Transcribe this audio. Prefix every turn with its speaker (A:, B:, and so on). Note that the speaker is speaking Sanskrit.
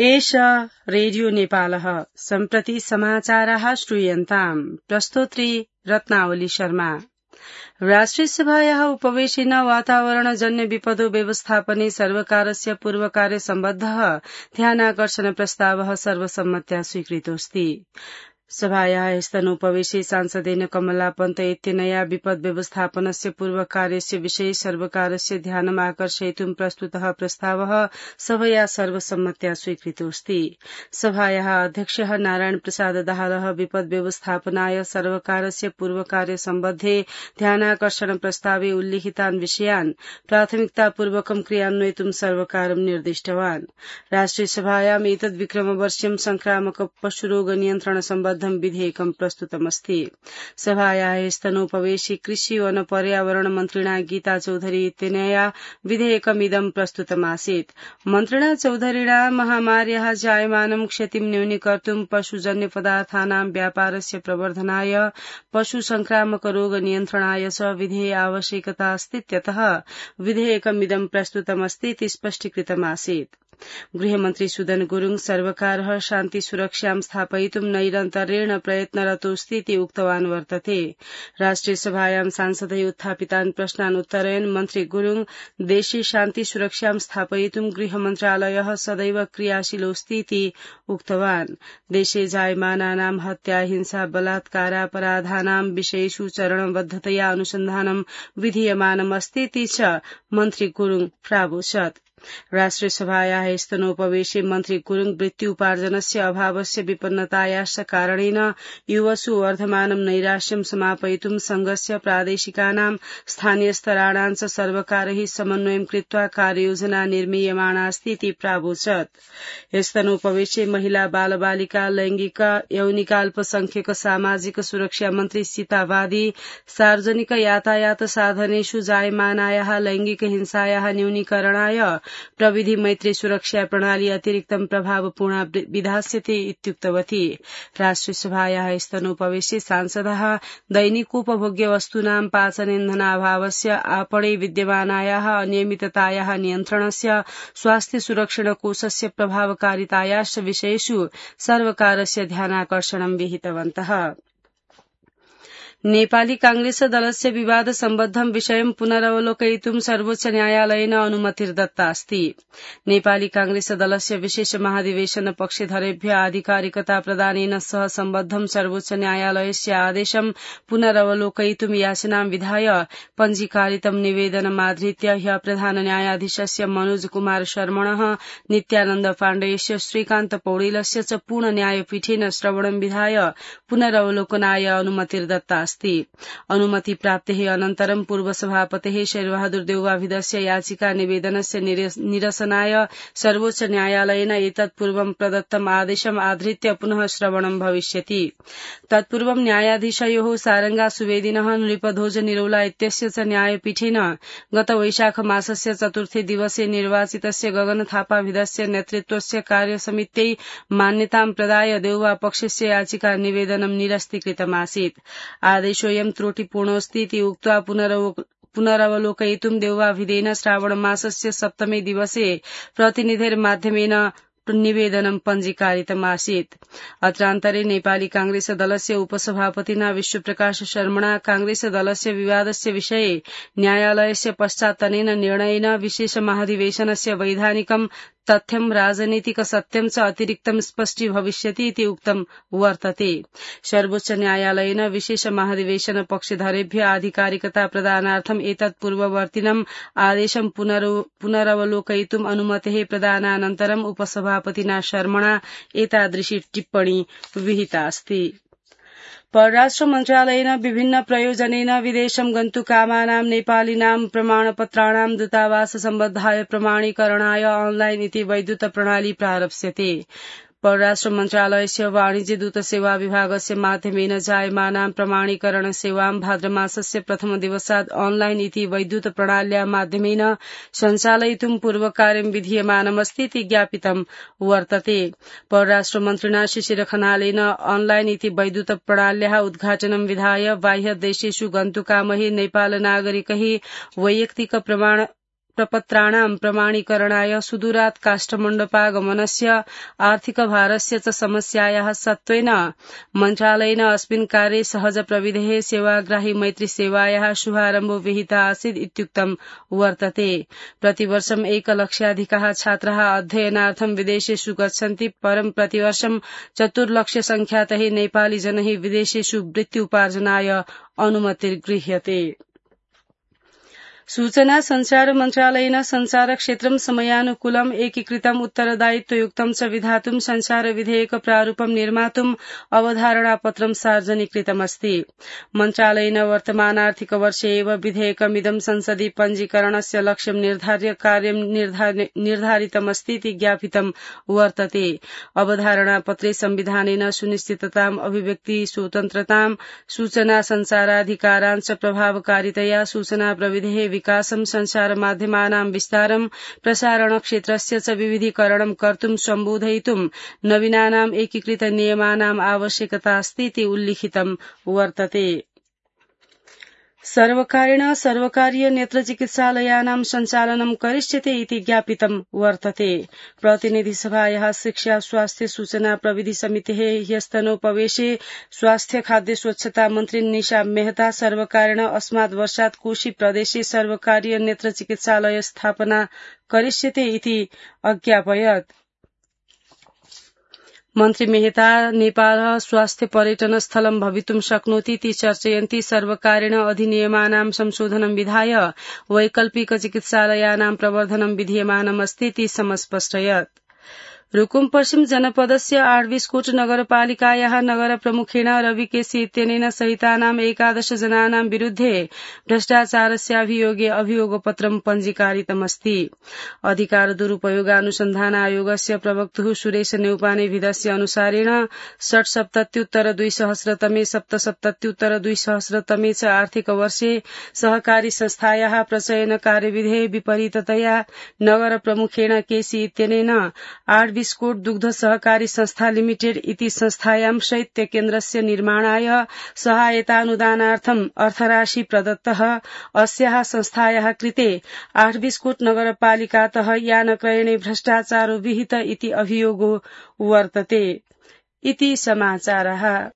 A: एष रेडियो नेपालः सम्प्रति समाचाराः श्रूयन्ताम् प्रस्तोत्री रत्नावली शर्मा। राष्ट्रियसभायाः उपवेशेन वातावरणजन्य विपदो व्यवस्थापने सर्वकारस्य पूर्वकार्यसम्बद्धः ध्यानाकर्षण प्रस्तावः सर्वसम्मत्या स्वीकृतोऽस्ति। सभायाः स्तनोपवेशे सांसदेन कमला पन्त इत्यनया विपद व्यवस्थापनस्य पूर्वकार्यस्य विषये सर्वकारस्य ध्यानम् आकर्षयितुं प्रस्तुतः प्रस्तावः सभया सर्वसम्मत्या स्वीकृतोऽस्ति। सभायाः अध्यक्षः नारायण प्रसाद दाहालः विपद व्यवस्थापनाय सर्वकारस्य पूर्वकार्यसम्बद्धे ध्यानाकर्षण प्रस्तावे उल्लिखितान् विषयान् प्राथमिकतापूर्वकं क्रियान्वयितुं सर्वकारं निर्दिष्टवान्। राष्ट्रियसभायाम् एतद्विक्रमवर्ष्यं संक्रामक पशुरोग नियन्त्रण सम्बद्ध विधेयकं प्रस्तुतमस्ति। सभायाः स्तनोपवेशे कृषि वन पर्यावरण मन्त्रिणा गीता चौधरी इत्यनया विधेयकमिदं प्रस्तुतमासीत्। मन्त्रिणा चौधरिणा महामार्याः जायमानं क्षतिं न्यूनीकर्तुं पशुजन्य पदार्थानां व्यापारस्य प्रवर्धनाय पशु संक्रामक रोग नियन्त्रणाय च विधेय आवश्यकता अस्तीत्यतः विधेयकमिदं प्रस्तुतमस्तीति स्पष्टीकृतमासीत्। गृहमन्त्री सुदन गुरुङ सर्वकारः शान्ति सुरक्षां स्थापयितुं नैरन्तर्येण प्रयत्नरतोऽस्तीति उक्तवान् वर्तते। राष्ट्रियसभायां सांसदै उत्थापितान् प्रश्नान् उत्तरयन् मन्त्री गुरुङ देशे शान्ति सुरक्षां स्थापयितुं गृहमन्त्रालयः सदैव क्रियाशीलोऽस्तीति उक्तवान्। देशे जायमानानां हत्या हिंसा बलात्कारापराधानां विषयेषु चरणबद्धतया अनुसन्धानं विधीयमानमस्तीति च मन्त्री गुरुङ प्रावोचत्। राष्ट्रियसभायाः स्तनोपवेशे मन्त्री गुरुङ वृत्त्युपार्जनस्य अभावस्य विपन्नतायाश्च कारणेन युवसु वर्धमानं नैराश्यं समापयितुं संघस्य प्रादेशिकानां स्थानीयस्तराणां च सर्वकारैः समन्वयं कृत्वा कार्ययोजना निर्मीयमाणास्तीति प्रावोचत्। स्तनोपवेशे महिला बालबालिका लैंगिक यौनिकाल्पसंख्यक सामाजिक सुरक्षा मन्त्री सीता वादी सार्वजनिक यातायात साधनेषु जायमानायाः लैंगिक हिंसायाः न्यूनीकरणाय प्रविधि मैत्री सुरक्षा प्रणाली अतिरिक्तं प्रभावपूर्णा विधास्यते इत्युक्तवती। राष्ट्रियसभायाः स्तनोपवेशे सांसदः दैनिकोपभोग्य वस्तूनां पाचनेन्धनाभावस्य आपणे विद्यमानायाः अनियमिततायाः नियन्त्रणस्य स्वास्थ्य सुरक्षण कोषस्य प्रभावकारितायाश्च विषयेषु सर्वकारस्य ध्यानाकर्षणं विहितवन्तः। नेपाली कांग्रेस दलस्य विवाद सम्बद्धं विषयं पुनरवलोकयितुं सर्वोच्च न्यायालयेन अनुमतिर्दत्ता अस्ति। नेपाली कांग्रेस दलस्य विशेष महाधिवेशन पक्षधरेभ्य आधिकारिकता प्रदानेन सह सम्बद्धं सर्वोच्च न्यायालयस्य आदेशं पुनरवलोकयितुं याचनां विधाय पञ्जीकारितं निवेदनमाधृत्य ह्य प्रधान न्यायाधीशस्य मनोज कुमार शर्मणः नित्यानन्द पाण्डेयस्य श्रीकान्त पौडेलस्य च पूर्ण न्यायपीठेन श्रवणं विधाय पुनरवलोकनाय अनुमतिर्दत्ता अस्ति। अनुमति प्राप्तेः अनन्तरं पूर्वसभापतेः शेरबहादुर देउवाभिधस्य याचिका निवेदनस्य निरसनाय सर्वोच्च न्यायालयेन एतत्पूर्वं प्रदत्तम् आदेशम् आधृत्य पुनः श्रवणं भविष्यति। तत्पूर्वं न्यायाधीशयोः सारंगा सुवेदिनः नृपध्वज निरौला इत्यस्य च न्यायपीठेन गत वैशाख मासस्य चतुर्थे दिवसे निर्वाचितस्य गगन थापाभिधस्य नेतृत्वस्य कार्यसमित्यै मान्यतां प्रदाय देउवा पक्षस्य याचिका निवेदनं निरस्तीकृतमासीत्। आदेशोऽयं त्रुटिपूर्णोऽस्तीति उक्त्वा पुनरवलोकयितुं देउवाभिधेन श्रावणमासस्य सप्तमे दिवसे प्रतिनिधिर्माध्यमेन निवेदनं पञ्जीकारितमासीत्। अत्रान्तरे नेपाली कांग्रेस दलस्य उपसभापतिना विश्वप्रकाश शर्मणा कांग्रेस दलस्य विवादस्य विषये न्यायालयस्य पश्चात्तनेन निर्णयेन विशेष महाधिवेशनस्य वैधानिकं तथ्यं राजनीतिक सत्यं च अतिरिक्तं स्पष्टी भविष्यति इति उक्तं वर्तते। सर्वोच्च न्यायालयेन विशेष महाधिवेशन पक्षधरेभ्य आधिकारिकता प्रदानार्थं एतत् पूर्ववर्तिनं आदेशं पुनरवलोकयितुम् अनुमतेः प्रदानानन्तरम् उपसभापतिना शर्मणा एतादृशी टिप्पणी विहिता अस्ति। परराष्ट्र मन्त्रालयेन विभिन्न प्रयोजनेन विदेशं गन्तुकामानां नेपालीनां प्रमाणपत्राणां दूतावास सम्बद्धाय प्रमाणीकरणाय ऑनलाइन इति वैद्युत प्रणाली प्रारप्स्यते। परराष्ट्र मन्त्रालयस्य वाणिज्य दूत सेवा विभागस्य माध्यमेन जायमानां प्रमाणीकरण सेवां भाद्रमासस्य प्रथम दिवसात् ऑनलाइन इति वैद्युत प्रणाल्या माध्यमेन सञ्चालयितुं पूर्वकार्यं विधीयमानमस्तीति ज्ञापितं वर्तते। परराष्ट्र मन्त्रिणा शिशिर खनालेन ऑनलाइन इति वैद्युत प्रणाल्याः उद्घाटनं विधाय बाह्य देशेषु गन्तुकामैः नेपाल नागरिकैः वैयक्तिक प्रमाण प्रपत्राणां प्रमाणीकरणाय सुदूरात् काष्ठमण्डपागमनस्य आर्थिकभारस्य च समस्यायाः सत्त्वेन मन्त्रालयेन अस्मिन् कार्ये सहज प्रविधेः सेवाग्राही मैत्री सेवायाः शुभारम्भो विहितः आसीत् इत्युक्तं वर्तते। प्रतिवर्षं 1 लक्षाधिकाः छात्राः अध्ययनार्थं विदेशेषु गच्छन्ति, परं प्रतिवर्षं 4 लक्षसंख्यातैः नेपाली जनैः विदेशेषु वृत्त्युपार्जनाय अनुमतिर्गृह्यते। सूचना संचार मन्त्रालयेन संचार क्षेत्रं समयानुकूलम् एकीकृतम् उत्तरदायित्वयुक्तं च विधातुं संचार विधेयक प्रारूपं निर्मातुम् अवधारणापत्रं सार्वजनिकृतमस्ति। मन्त्रालयेन वर्तमानार्थिक वर्षे एव विधेयकमिदं संसदि पञ्जीकरणस्य लक्ष्यं निर्धार्य कार्यं निर्धारितमस्ति इति ज्ञापितं वर्तते। अवधारणापत्रे संविधानेन सुनिश्चितताम्, अभिव्यक्ति स्वतन्त्रतां, सूचना संचाराधिकारान् च प्रभावकारितया सूचना प्रविधेः विकासं, संचार माध्यमानां विस्तारं, प्रसारण क्षेत्रस्य च विविधीकरणं कर्तुं सम्बोधयितुं नवीनानाम् एकीकृत नियमानाम् आवश्यकता अस्ति इति उल्लिखितं वर्तते। सर्वकारेण सर्वकारीय नेत्रचिकित्सालयानां सञ्चालनं करिष्यते इति ज्ञापितं वर्तते। प्रतिनिधिसभायाः शिक्षा स्वास्थ्य सूचना प्रविधि समितेः ह्यस्तनोपवेशे स्वास्थ्य खाद्य स्वच्छता मन्त्री निशा मेहता सर्वकारेण अस्मात् वर्षात् कोशी प्रदेशे सर्वकारीय नेत्रचिकित्सालय स्थापना करिष्यते इति अज्ञापयत्। मन्त्री मेहता नेपालः स्वास्थ्य पर्यटन स्थलं भवितुं शक्नोति इति चर्चयन्ती सर्वकारेण अधिनियमानां संशोधनं विधाय वैकल्पिक चिकित्सालयानां प्रवर्धनं विधीयमानमस्ति इति समस्पष्टयत्। रुकुम पश्चिम जनपदस्य आड्विस्कोट नगरपालिकायाः नगर प्रमुखेण रवि केसी इत्यनेन सहितानां 11 जनानां विरुद्धे भ्रष्टाचारस्याभियोगे अभियोगपत्रं पञ्जीकारितमस्ति। अधिकार दुरुपयोगानुसन्धान आयोगस्य प्रवक्तुः सुरेश नेउपानेभिधस्य अनुसारेण षट्सप्तत्युत्तर-2000 तमे 77उत्तर 2000 च आर्थिक वर्षे सहकारी संस्थायाः प्रचयन कार्यविधेः विपरीततया नगर प्रमुखेण केसी इत्यनेन आड्विस्कोट दुग्ध सहकारी संस्था लिमिटेड इति संस्थायां शैत्य केन्द्रस्य निर्माणाय सहायतानुदानार्थं अर्थराशि प्रदत्तः। अस्याः संस्थायाः कृते आड्विस्कोट नगरपालिकातः यानक्रयणे भ्रष्टाचारो विहित इति अभियोगो वर्तते इति समाचारः।